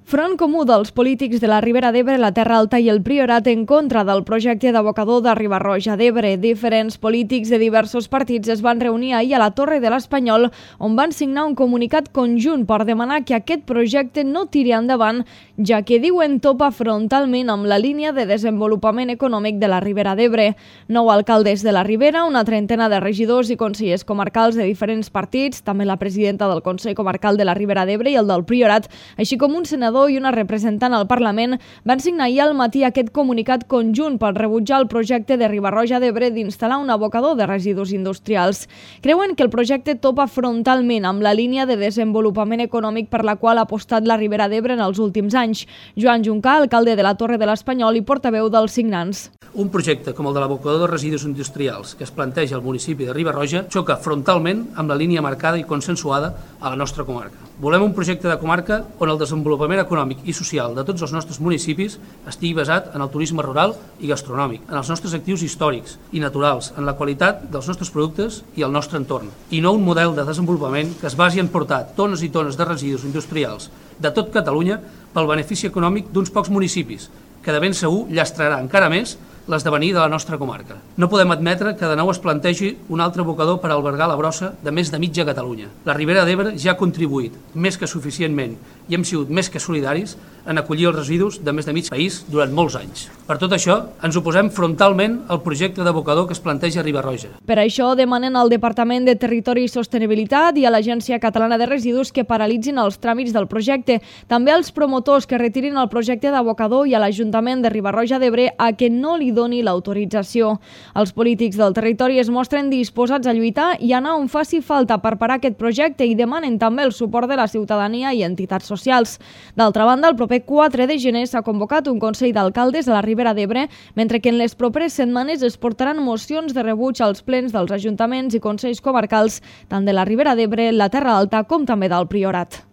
Front comú dels polítics de la Ribera d'Ebre, la Terra Alta i el Priorat en contra del projecte d'abocador de Riba-roja d'Ebre. Diferents polítics de diversos partits es van reunir ahir a la Torre de l'Espanyol, on van signar un comunicat conjunt per demanar que aquest projecte no tiri endavant, ja que diuen topa frontalment amb la línia de desenvolupament econòmic de la Ribera d'Ebre. 9 alcaldes de la Ribera, una trentena de regidors i consellers comarcals de diferents partits, també la presidenta del Consell Comarcal de la Ribera d'Ebre i el del Priorat, així com un senador i una representant al Parlament, van signar ahir al matí aquest comunicat conjunt per rebutjar el projecte de Riba-roja d'Ebre d'instal·lar un abocador de residus industrials. Creuen que el projecte topa frontalment amb la línia de desenvolupament econòmic per la qual ha apostat la Ribera d'Ebre en els últims anys. Joan Juncà, alcalde de la Torre de l'Espanyol i portaveu dels signants. Un projecte com el de l'abocador de residus industrials que es planteja al municipi de Riba-roja xoca frontalment amb la línia marcada i consensuada a la nostra comarca. Volem un projecte de comarca on el desenvolupament econòmic i social de tots els nostres municipis estigui basat en el turisme rural i gastronòmic, en els nostres actius històrics i naturals, en la qualitat dels nostres productes i el nostre entorn, i no un model de desenvolupament que es basi en portar tones i tones de residus industrials de tot Catalunya pel benefici econòmic d'uns pocs municipis, que de ben segur llastrarà encara més l'esdevenir de la nostra comarca. No podem admetre que de nou es plantegi un altre abocador per albergar la brossa de més de mitja Catalunya. La Ribera d'Ebre ja ha contribuït més que suficientment i hem sigut més que solidaris en acollir els residus de més de mig país durant molts anys. Per tot això, ens oposem frontalment al projecte d'abocador que es planteja a Riba-roja. Per això demanen al Departament de Territori i Sostenibilitat i a l'Agència Catalana de Residus que paralitzin els tràmits del projecte. També als promotors que retirin el projecte d'abocador i a l'Ajuntament de Riba-roja d'Ebre a que no li doni l'autorització. Els polítics del territori es mostren disposats a lluitar i anar on faci falta per parar aquest projecte i demanen també el suport de la ciutadania i entitats socials. D'altra banda, el proper 4 de gener s'ha convocat un Consell d'Alcaldes a la Ribera d'Ebre, mentre que en les properes setmanes es portaran mocions de rebuig als plens dels ajuntaments i consells comarcals, tant de la Ribera d'Ebre, la Terra Alta com també del Priorat.